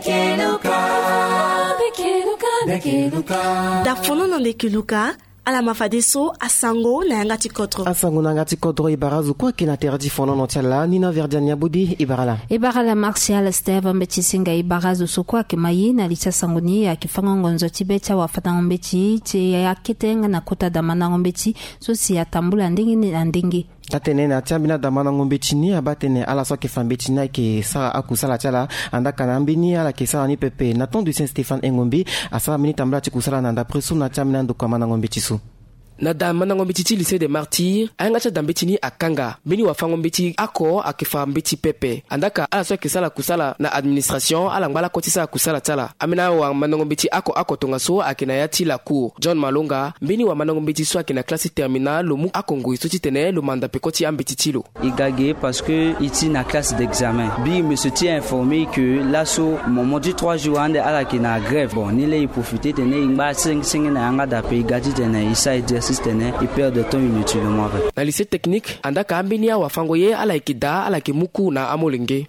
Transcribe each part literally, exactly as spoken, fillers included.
Keluka. Keluka. Dafono na nde keluka. Ala ma fadeso asango na yanga ti kodro. Asango na yanga ti kodro e bara azo kue ayeke na tere ti fonono ti ala ni na Verdiane Abodi e bara ala. E bara ala Martial Steve mbeti singa e bara azo so kue ayeke ma ye na li ti asango ni ayeke fango ngonzo ti be ti awafandango mbeti ti akete nga na kota damandango mbeti so si atambula ndenge na ndenge. Atene na ti ambeni adamandango mbeti ni abaa tene ala so ayeke fa mbeti ni ayeke sara akusala ti ala. Andaa ka na ambeni ala yeke sara ni pepe na ton du Saint Stéphane Engombe asara mbeni tambala ti kusala na ndapre so na ti ambeni andokua mandango mbeti so. Na damandango mbeti ti Lycée des Martyrs ayanga ti adambeti ni akanga mbeni wafango mbeti oko ayeke fa mbeti pepe. Andaa ka ala so ayeke sara kusala na administration ala ngba lakue ti sara kusala ti ala. Ambeni awamandango mbeti oko oko tongaso ayeke na ya ti lacour John Malonga. Mbeni wamandango mbeti so ayeke na classe ti terminale lo mu oko ngoi so titene lo manda peko ti ambeti ti lo. E ga ge parce que e ti na classe d'examen. Mbi me so ti informé que laso moment ti trois jours ande ala yeke na grève. Bon, ni laa e profité tene e ngba senge senge na yanga dape e ga titene e sara exercice tene e perdre temps inutilement. Na lycée technique andaa ka ambeni awafango ye ala yeke daa ala yeke mu cours na amolenge.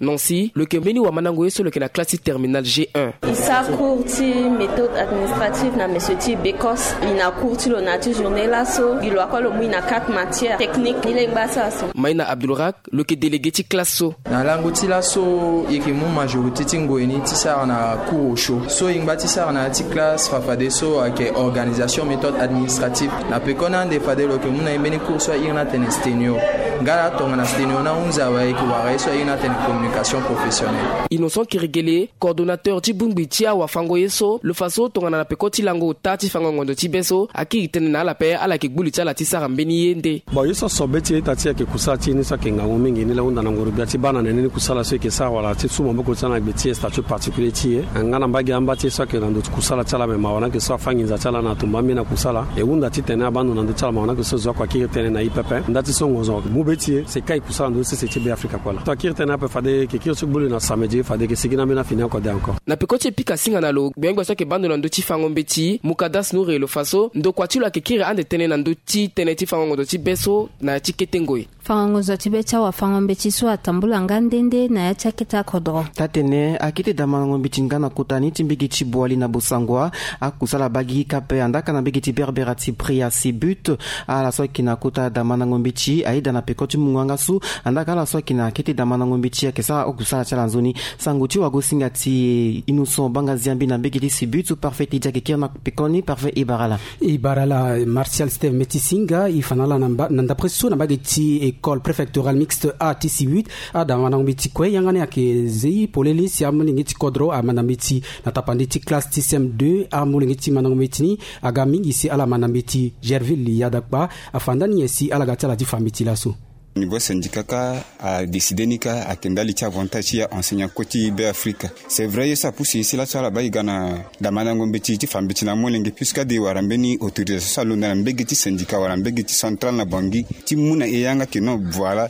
Nancy lo yeke mbeni wamandango ye so lo yeke na classe ti terminale G un. E sara cours ti méthode administrative na monsieur ti Bécosse. E na cours ti lo na ya ti journée laso gi lo akue lo mu e na quatre matières techniques ni laa e ngba sara so. Maïna Abdoulrak lo yeke délégué ti classe so. Na lango ti laso e yeke mu majorité ti ngoi ni ti sara na cours osio so e ngba ti sara na ya ti classe fa fadeso ayeke organisation méthode administrative. Na pekoni ande fade lo yeke mu na e mbeni cours so a iri ni atene sténio. Nga laa tongana sténio ni ahunzi awe e yeke wara ye so a iri ni atene communication professionnelle. Innocent Kirigele, coordonnateur ti bongbi ti awafango ye so lo fa so tongana na peko ti lango ota ti fango ngonzo ti be so akiri tënë na ala ape ala yeke gbu li ti ala ti sara mbeni ye nde. Bon, ye so aso be ti ita ti e ayeke kusala ti e ni so ayeke ngangu mingi ni laa e hunda na ngoro gbia ti baa na nene ni kusala so e yeke sara wala ti su maboko ti ala na gbe ti e statut particulier ti e. Nga na mbage amba ti e so ayeke na ndo ti kusala ti ala me mawa na yeke so afâ nginza ti ala na atumba ambeni na kusala. E hunda titene abaa ndo na ndö ti ala mawa na yeke so zo akua kiri tënë na e pepe nda ti so ngonzo mu be ti e si e kai kusala na ndö ti sese ti Be Afrika kue laa. So akiri tënë ape fade e yeke kiri ti gbu li na samedi fade e yeke sigi na ambeni afini oko de encore. Na peko ti e pika singa na lo gbengbia so ayeke baa ndo na ndö ti fango mbeti Mukadas Noure lo fa so ndokua ti lo ayeke kiri ande tënë na ndö ti tënë ti fango ngonzo ti be so na ya ti kete ngoi. Fango ngonzo ti be ti awafango mbeti so atambula nga nde nde na ya ti akete akodro. Taa-tene akete damandango mbeti nga na kota ni ti mbege ti Boali na Bossangoa. Akusala baa gigi kâ ape andaa ka na mbege ti Berbera ti Pria Sibut. Ala so ayeke na kota damandango mbeti ayeda na peko ti mungo yanga so. Andaa ka ala so ayeke na kete damandango mbeti ayeke sara akusala ti ala nzoni. Sango ti wagosinga ti Innocent Bangaziambi na mbege ti Sibut so Parfait Teddy ayeke kiri na pekoni. Parfait e bara ala. E bara ala Martial Steve Metisinga e fa na ala na mba- na ndapre so na mbage ti école préfectorale mixte A ti Sibut. Adamandango mbeti kue yanga ni ayeke zei polele si amolenge ti kodro amanda mbeti na tapande ti classe ti C M deux. Amolenge ti mandango mbeti ni aga mingi si ala manda mbeti. Gerville Yadakpa afa nda ni nyen si ala ga ti ala ti fa mbeti laso. Niveau syndicat kâ adécidé ni kâ ayeke ndali ti avantage ti aenseignant kue ti Be Afrika. C'est vrai ye so apusu e si laso ala baa e ga na damandango mbeti ti fa mbeti na amolenge puisque ade e wara mbeni autorisation so alondo na mbege ti syndicat wala mbege ti centrale na Bangui ti mu na e yanga ke non voilà.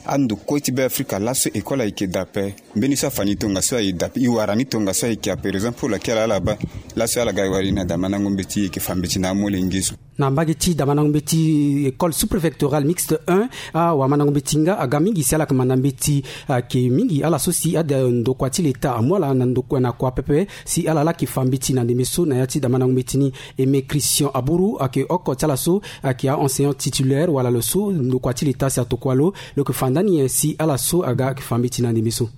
Ando kue ti Be Afrika laso école ayeke daa ape. Mbeni so afa ni tongaso aye daa ape e wara ni tongaso ayeke ape raison pour laquelle ala baa laso ala ga e wara e na damandango mbeti e yeke fa mbeti na amolenge so. Na mbage ti damandango mbeti école sous-préfectorale mixte un. Awamandango mbeti nga aga mingi si ala yeke manda mbeti ayeke mingi ala so si ade ndokua ti leta amu ala na ndokua na kua pepe si ala laa yeke fa mbeti na ndembe so na ya ti damandango mbeti ni. Aimé Christian Abourou ayeke oko ti ala so ayeke aenseignant titulaire wala lo so ndokua ti leta si atokua lo. Lo yeke fa nda ni nyen si ala so aga ayeke fa mbeti na ndembe so.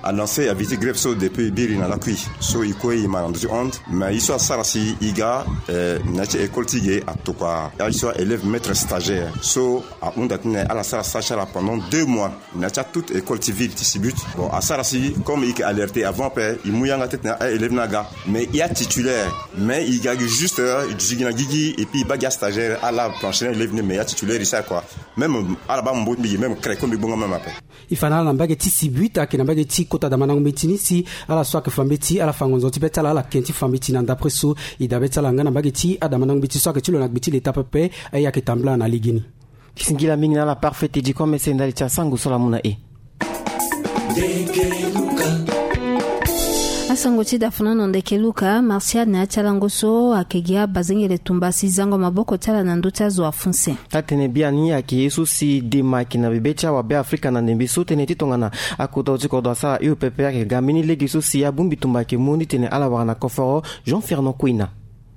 Annoncé aviti grève so depuis biri na lakui so e kue e ma na ndo ti honte mais e so asara si e ga na ya ti école ti ge atokua aye so élève maître stagiaire so ahunda titene ala sara stage ti ala pendant deux mois na ya ti atout école ti ville ti Sibut. Bon asara si comme e yeke alerté avant ape e mu yanga ti titene aélève ni aga mais e atitulaire mais e ga gi juste e duti gi na gigi et puis e baa gi astagiaire ala plancher na élève ni mais e atitulaire e sara kua. Même ala baa mbo ti mbi gi même crèco mbi gbonga même ape. E fa na ala na mbage ti Sibut ayeke na mbage ti kota damandango mbeti ni si ala so ayeke fa mbeti ala fa ngonzo ti be ti ala ala ken ti fa mbeti na ndapre so. E dabe ti ala nga na mbage ti adamandango mbeti so ayeke ti lo na gbe ti leta pepe aye ayeke tambula na legeni. Singila mingi na ala Parfait Teddy kue mese ndali ti asango so ala mu na e. Asango ti dafuna na ndeke luka martial na ya ti alango so ayeke gi abazengele tumba si zango maboko ti ala na ndö ti azo afunse. Taa-tene biani ayeke ye so si dema ayeke na bebe ti awabe afrika na ndembe so tënë ti tongana akota ti kodro asara hio pepe ayeke ga mbeni lege so si abongbi tumba ayeke mu ni titene ala wara na koforo. Jean Fernand Quina.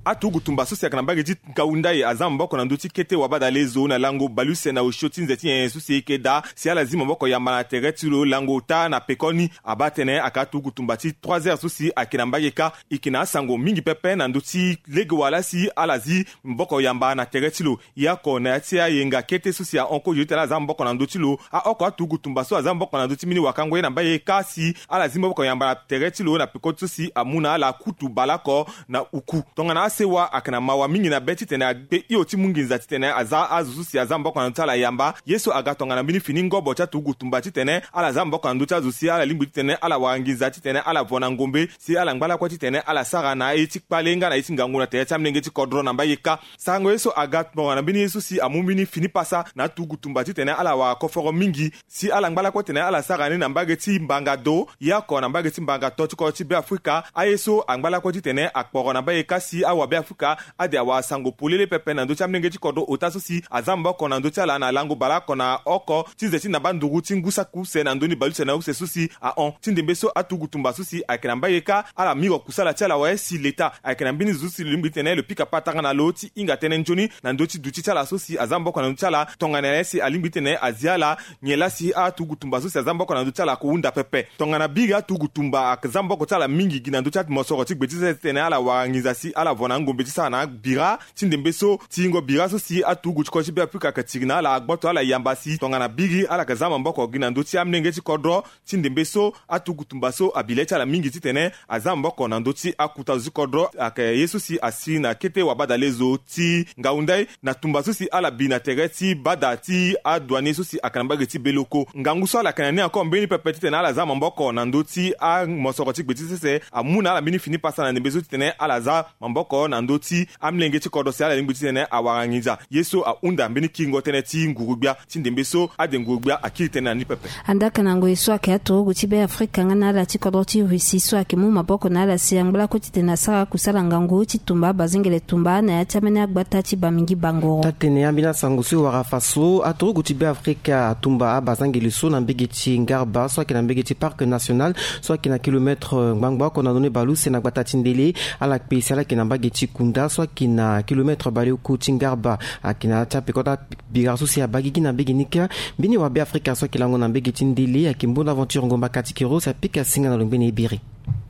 Aturugu tumba so si ayeke na mbage ti ngau ndai aza maboko na ndö ti kete wabadale zo na lango baleuse na osio ti nze ti nyen so si eke daa si ala zi maboko yamba na tere ti lo lango ota na pekoni. Abaa tënë ayeke aturugu tumba ti trois heures so si ayeke na mbage kâ. Eke na asango mingi pepe na ndö ti lege wala si ala zi maboko yamba na tere ti lo. Ye oko na ya ti ayenga kete so si ahon kozo ti tene ala za maboko na ndö ti lo. Aoko aturugu tumba so aza maboko na ndö ti mbeni wakango ye na mbage kâ si ala zi maboko yamba na tere ti lo na peko ti so si amu na ala kutu baleoko na uku. Tongana asewa ayeke na mawa mingi na be titene akpe hio ti mu nginza titene aza azo so si aza maboko na ndö ti ala yamba. Ye so aga tongana mbeni fini ngobo ti aturugu tumba titene ala za maboko na ndö ti azo si ala lingbi titene ala wara nginza titene ala vo na ngombe si ala ngba lakue titene ala sara na aye ti kpale nga na ye ti ngangu na tere ti amolenge ti kodro na mbage kâ. Sarango ye so aga tongana mbeni ye so si amu mbeni fini pasa na aturugu tumba titene ala wara koforo mingi si ala ngba lakue titene ala sara ni na mbage ti mbanga do ye oko na mbage ti mbanga to ti kodro ti Beafrika. Aye so angba lakue titene akporo na mbage kâ si awabeafrika ade awara sango polele pepe na ndö ti amolenge ti kodro ota so si aza maboko na ndö ti ala na lango baleoko na oko ti nze ti namba nduru ti ngu saki use na ndö ni baleuse na use so si ahon. Ti ndembe so aturugu tumba so si ayeke na mbage kâ ala miro kusala ti ala awe si leta ayeke na mbeni zo so si lo lingbi titene lo pika patara na lo ti hinga tënë nzoni na ndö ti duti ti ala so si aza maboko na ndö ti ala tongana nyen si alingbi titene azi ala nyen laa si aturugu tumba so si aza maboko na ndö ti ala ako hunda pepe. Tongana biri aturugu tumba aza maboko ti ala mingi gi na ndö ti amosoro ti gbe ti sese titene ala wara nginza si ala vo na angombe ti sara na abira. Ti ndembe so ti yingo bira so si aturugu ti kodro ti Beafrika ayeke tiri na ala agboto ala yamba si tongana biri ala yeke za maboko gi na ndö ti amolenge ti kodro. Ti ndembe so aturugu tumba so abi le ti ala mingi titene aza maboko na ndö ti akuta zo ti kodro ayeke ye so si asi na kete wabadale zo ti ngau ndai na tumba so si ala bi na tere ti bada ti adouanier so si ayeke na mbage ti beloko. Ngangu so ala yeke na ni encore mbeni pepe titene ala za maboko na ndö ti amosoro ti gbe ti sese amu na ala mbeni fini pasa na ndembe so titene ala za maboko na ndö ti amolenge ti kodro si ala lingbi titene awara nginza. Ye so ahunda mbeni kiringo tënë ti nguru-gbia ti ndembe so ade nguru-gbia akiri tënë na ni pepe. Andaka na ngoi so ayeke aturugu ti Beafrika nga na ala ti kodro ti Russie so ayeke mu maboko na ala si angba lakue titene asara kusala ngangu ti tumba abazengele tumba na ya ti ambeni agbata ti Bamingui Bangoro. Taa-tene ambeni asango so e wara fa so aturugu ti Beafrika atumba abazengele so na mbage ti ngarba so ayeke na mbage ti parc national so ayeke na kilometre ngbangba oko na ndoni baleuse na gbata ti ndele. Ala kpe si ala yeke na mbage ti kunda so ayeke na kilometre baleoko ti ngarba. Ayeke na ya ti apeko ti bira so si abaa gigi na mbage ni kâ. Mbeni wabeafrika so ayeke lango na mbage ti ndele ayeke mbonda aventure ngomba katikero si apika singa na lo ngbene ebiri.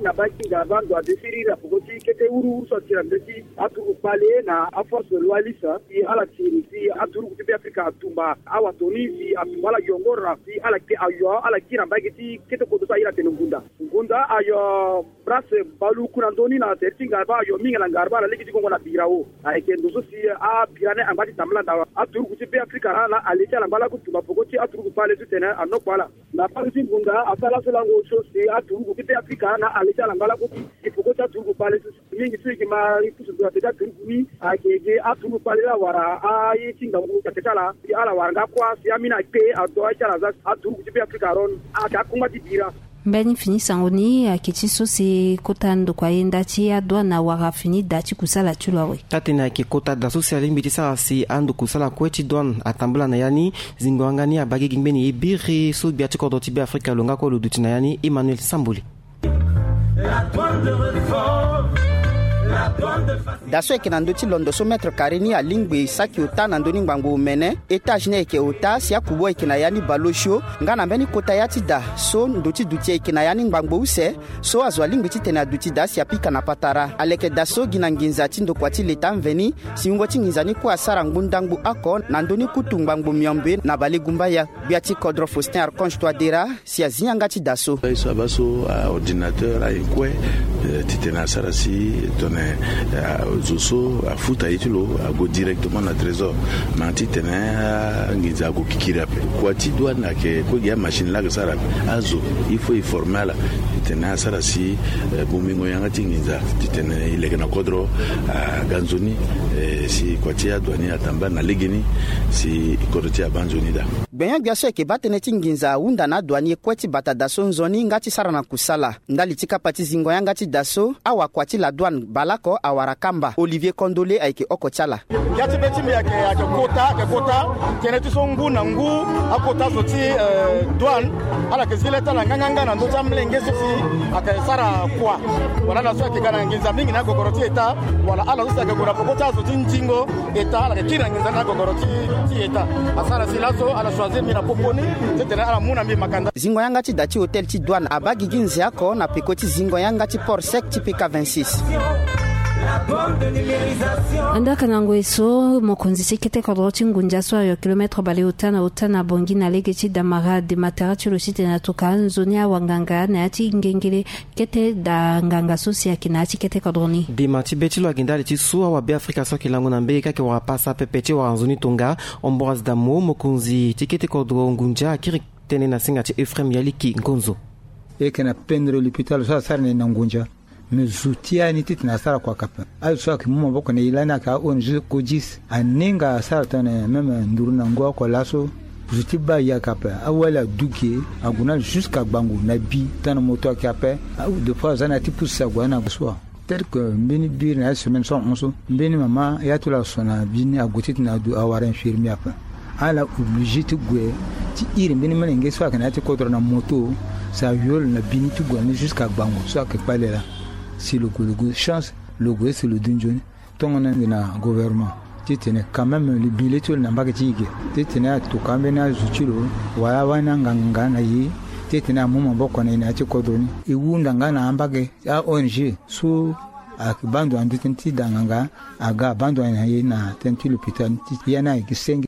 Na baa gi ngarba ndo ade siriri na peko ti kete wuruwuru so atiri na ndö ti aturugu kpale na aforce loyaliste si ala tiri si aturugu ti Beafrika atumba awato ni si atumba ala yongoro na si ala kpe ayo ala gi na mbage ti kete kodo so aye na tene ngunda. Ngunda ayo Brasse baluku na ndö ni na tere ti ngarba ayo mingi na ngarba na lege ti gongo na birao. Ayeke ndo so si abira ni angba ti tambala nda aturugu ti Beafrika na ale ti ala ngba laku tumba peko ti aturugu kpale titene anokpo ala. Na mbage ti ngunda asara laso lango so si aturugu ti Beafrika na ale ti ala ngba laku ti peko ti aturugu kpale so si mingi so e yeke ma pusu ndo na tere ti aturugu ni. Ayeke gi aturugu kpale la wara aye ti ngangu na tere ti ala si ala wara nga kuâ si ambeni akpe ado aye ti ala za aturugu ti Beafrika aron ayeke akongba ti bira. Mbeni fini sango ni ayeke ti so si kota ndokua yenda ti adouane awara fini da ti kusala ti lo awe. Taa-tene ayeke kota da so si alingbi ti sara si ando kusala kue ti douane atambula na ya ni. Zingo yanga ni abaa gigi ngbeni ye biri so gbia ti kodro ti Beafrika lo nga kue lo duti na ya ni Emmanuel Sambole. Da so ayeke na ndö ti londo so mètre carré ni alingbi saki ota na ndö ni ngbangbo omene. Étage ni ayeke ota si akubo ayeke na ya ni baleosio. Nga na mbeni kota ya ti da so ndo ti duti ayeke na ya ni ngbangbo use. So azo alingbi titene aduti da si apika na patara aleke da so gi na nginza ti ndokua ti leta mveni. Si wungo ti nginza ni kue asara ngbunda ngbu oko na ndö ni kutu ngbangbo miombe na balegumbaya. Gbia ti kodro Faustin Archange Touadéra si azi yanga ti da so. Ye so abaa so aordinateur aye kue titene asara si tongana Zo so afuta ye ti lo ague directement na trésor. Ma titene anginza ague kikiri ape, kua ti douane ayeke kue gi amachine laa ayeke sara ape. Azo il faut e former ala titene asara si bongbingo yanga ti nginza titene e leke na kodro aga nzoni. Si kua ti adouane atambula na legeni si kodro ti e abaa nzoni daa. Gbenyo-gbia so ayeke baa tënë ti nginza ahunda na adouane kue ti bata daa so nzoni nga ti sara na kusala. Ndali ti kapa ti zingo yanga ti daa so, awakua ti la douane baleoko awara kamba. Olivier Kondole ayeke oko ti ala. Ya ti be ti mbi ayeke, ayeke kota, ayeke kota. Tënë ti so ngu na ngu akota zo ti douane ala yeke zi leta na nganganga na ndö ti amolenge so si ayeke sara kua, wala ala so ayeke ga na nginza mingi na agogoro ti eta, wala ala so si ayeke gue na peko ti azo ti ndingo eta, ala yeke kiri na nginza ni na agogoro ti, ti eta. Asara si laso ala choisir mbi na popo ni titene ala mu na mbi makanda. Zingo yanga ti daa ti hôtel ti douane abaa gigi nze oko na peko ti zingo yanga ti port sec ti P K vingt-six. Andaa ka na ngoi so, mokonzi ti kete kodro ti ngunza so ayo kilomètre baleota na ota na Bangui na lege ti Damara de matara ti lo titene atoka nzoni awanganga na ya ti ngengele kete daa nganga so si ayeke na ya ti kete kodro ni. Dema ti be ti lo ayeke ndali ti so awabeafrika so ayeke lango na mbege kâ ayeke wara pasa pepe ti wara nzoni tonga. Ambroise Damo, mokonzi ti kete kodro ngunza, akiri tënë na singa ti Euphrem Yaliki Ngonzo. E yeke na pendre lopitalo so asara na e na ngunza. Me zo ti ya ni titene asara kua kape. Azo so ayeke mu maboko na e lani ayeke a-O N G Codis. Aninga asara tongana même nduru na ngu oko laso. Zo ti baa e ayeke ape. Awali aduge ague na ala jusqu'à Gbango na bi tongana moto ayeke ape. Des fois aza na ya ti pousse ague na so wa. Tel que mbeni biri na ya semaine so ahon so, mbeni mama ya ti lo aso na bi ni ague titene adu awara infirmier ape. Ala obligé ti gue ti iri mbeni molenge so ayeke na ya ti kodro na moto, si ayo lo na bi ni ti gue na ni jusqu'à Gbango so ayeke kpale laa. Si lo gue, lo gue chance, lo gue si lo du nzoni. Tongana nde na gouvernement titene quand même lo bi le ti lo na mbage ti e ge, titene atoka ambeni azo ti lo wala awani anganga na e titene amu maboko na e na ya ti kodro ni. E hunda nga na ambage a-O N G so ayeke baa ndo na ndö tënë ti da nganga, aga abaa ndo na e na tënë ti lopitalo ni ti ya ni ayeke senge.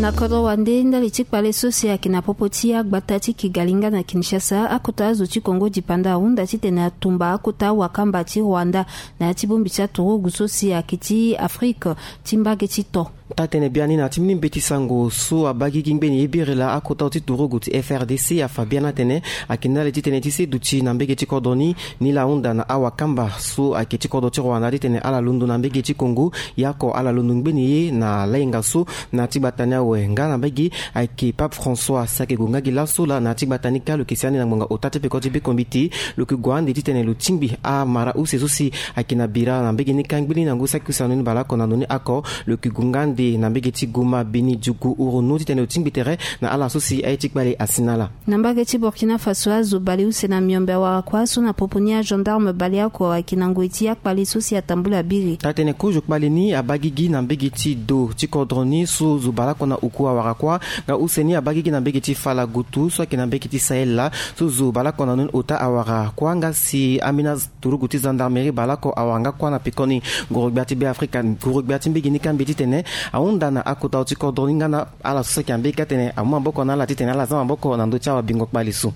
Na kodro wande ndali ti kpale so si ayeke na popo ti agbata ti Kigali nga na Kinshasa, akota azo ti Congo dipanda ahunda titene atumba akota wakamba ti Rwanda na ya ti bongbi ti aturugu so si ayeke ti Afrike ti mbage ti to. Taa-tënë biani na ya ti mbeni mbeti sango so abaa gigi ngbeni ye biri laa akota ti turugu ti F R D C afa biani atene ayeke ndali ti tënë ti se duti na mbage ti kodro ni. Ni laa ahunda na awakamba so ayeke ti kodro ti Rwanda titene ala londo na mbage ti Congo, yaoko ala londo ngbeni ye na lainga so na ya ti gbata ni awe. Nga na mbage ayeke Pape François si ayeke gue nga gi laso laa na ya ti gbata ni kâ lo yeke si ande na ngbonga ota ti peko ti bekombiti. Lo yeke gue ande titene lo tingbi amara use so si ayeke na bira na mbage ni kâ ngbeni na ngu saki use na ndo ni baleoko na ndo ni oko. Lo yeke gue nga ande na mbage ti Goma, Beni, Djugu, Ouronou titene lo tingbi tere na ala so si aye ti kpale asi na ala. Na mbage ti Burkina Faso, azo baleuse na miombe awara kua so na popo ni agendarme baleoko ayeke na ngoi ti akpale so si atambula biri. Taa-tënë kozo kpale ni abaa gigi na mbage ti do ti kodro ni so zo baleoko na oku awara kua. Nga use ni abaa gigi na mbage ti Falagoto so ayeke na mbage ti Sahel laa so zo baleoko na ndo ni ota awara kua nga si ambeni turugu ti gendarmerie baleoko awara nga kua na pekoni. Nguru-gbia ti Beafrika, nguru-gbia ti mbage ni kâ mbi titene ahunda na akota ti kodro ni nga na ala so si ayeke na mbage kâ titene amu maboko na ala titene ala za maboko na ndö ti awabingo kpale so.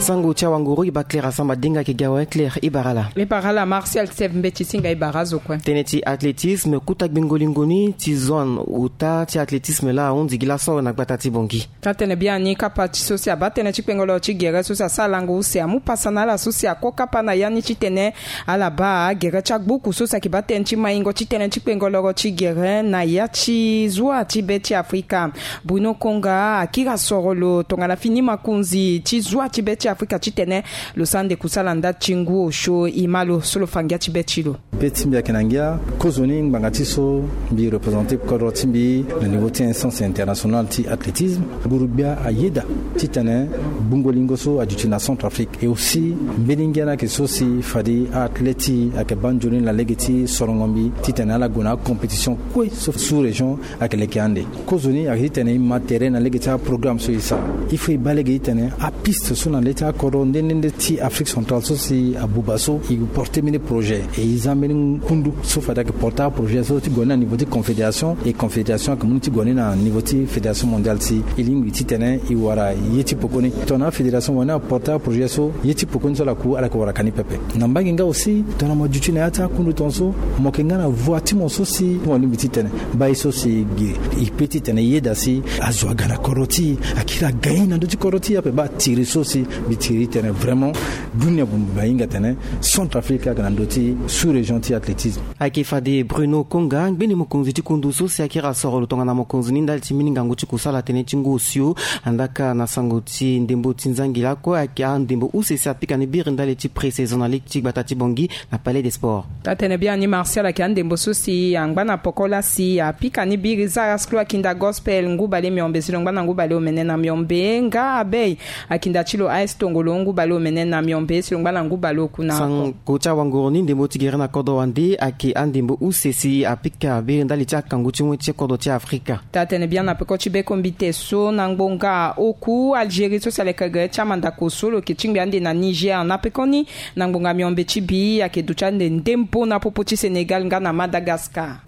Sango ti awanguru, e baa Claire Asamba Dinga ayeke gi awe. Claire, e bara ala. E bara ala Martial Steve Mbeti Singa, e bara azo kue. Tënë ti athlétisme, kota gbingo lingo ni ti zone ota ti athlétisme laa ahunzi gi laso awe na gbata ti Bangui. Taa-tënë biani kapa ti so si abaa tënë ti kpengoloro ti gere so si asara lango use amu pasa na ala so si ako kapa na ya ni titene ala baa gere ti agbuku so si ayeke baa tënë ti maingo ti tënë ti kpengoloro ti gere na ya ti zua ti be ti Afrika. Bruno Konga akiri asoro lo tongana fini makonzi ti zua ti be ti Afrika titene lo sara ande kusala ndali ti ngu osio. E ma lo so lo fa ngia ti be ti lo. Be ti mbi ayeke na ngia. Kozoni ngbanga ti so mbi représenter kodro ti mbi na niveau ti instance internationale ti athlétisme. Nguru-gbia ayeda titene gbungo lingo so aduti na Centrafrique. Et aussi mbeni ngia ni ayeke so si fade a-athlète ti e ayeke baa nzoni na lege ti sorongo mbi titene ala gue na acompétition kue so sous-région ayeke leke ande. Kozoni ayeke titene e ma tere na lege ti aprogramme so e sara. Il faut e baa lege titene apiste so na le ti Kodro nde nde nde ti Afrique centrale so si abuba so e porte mbeni projet, e e za mbeni kundu so fade ayeke porte aprojet so ti gue ni na niveau ti confédération, e confédération ayeke mu ni ti gue ni na niveau ti fédération mondiale si e lingbi titene e wara ye ti pekoni. Tongana afédération wani aporte aprojet so, ye ti pekoni so ala ku ala yeke wara ka ni pepe. Na mbage nga aussi tongana mo duti na ya ti akundu tongaso, mo yeke nga na voie ti mo so si mo lingbi titene baa ye so si e gi e pe titene e yeda si azo aga na kodro ti e, akiri aga ye na ndö ti kodro ti e ape. Baa tiri so si mbi tiri titene vraiment dunia bongbi ahinga tene Centrafrique ayeke na ndö ti sous-région ti athlétisme. Ayeke fade Bruno Konga, ngbene mokonzi ti kundu so si akiri asoro lo tongana mokonzi ni ndali ti mbeni ngangu ti kusala tënë ti ngu osio. Andaa kâ na sango ti ndembo ti nzangila kue, ayeke andembo use si apika ni biri ndali ti pré-saison na ligue ti gbata ti Bangui na Palais des Sports. Taa-tene biani Martial ayeke andembo so si angba na poko laa si apika ni biri. Zara Screw akinda Gospel ngu bale miombe si lo ngba na ngu bale omene na miombe, nga Abey akinda ti lo A S Tongolo ngu bale omene na miombe si lo ngba na ngu bale oku na oko. Sango ti awanguru ni, ndembo ti gere na kodro wande ayeke andembo use si apika biri ndali ti akangu ti wen ti kodro ti Afrika. Taa-tene biani na peko ti bekombite so, na ngbonga oku Algérie so si aleke gere ti amandako so lo yeke tingbi ande na Niger na pekoni, na ngbonga miombe ti bi ayeke duti ande ndembo na popo ti Sénégal nga na Madagascar.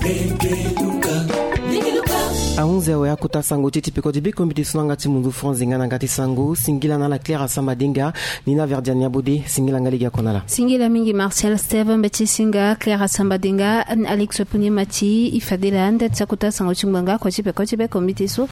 Ahunzi awe akota sango ti e ti peko ti bekombite so na yanga ti munzu France nga na yanga ti sango. Singila na ala Claire Asamba Denga, Nina Verdiane Yabode, singila nga lege oko na ala. Singila mingi Martial Steve, mbeti singa Claire Asamba Denga, Alex Puni Mati, e fade laa nda ti akota sango ti ngbonga oko ti peko ti bekombite so.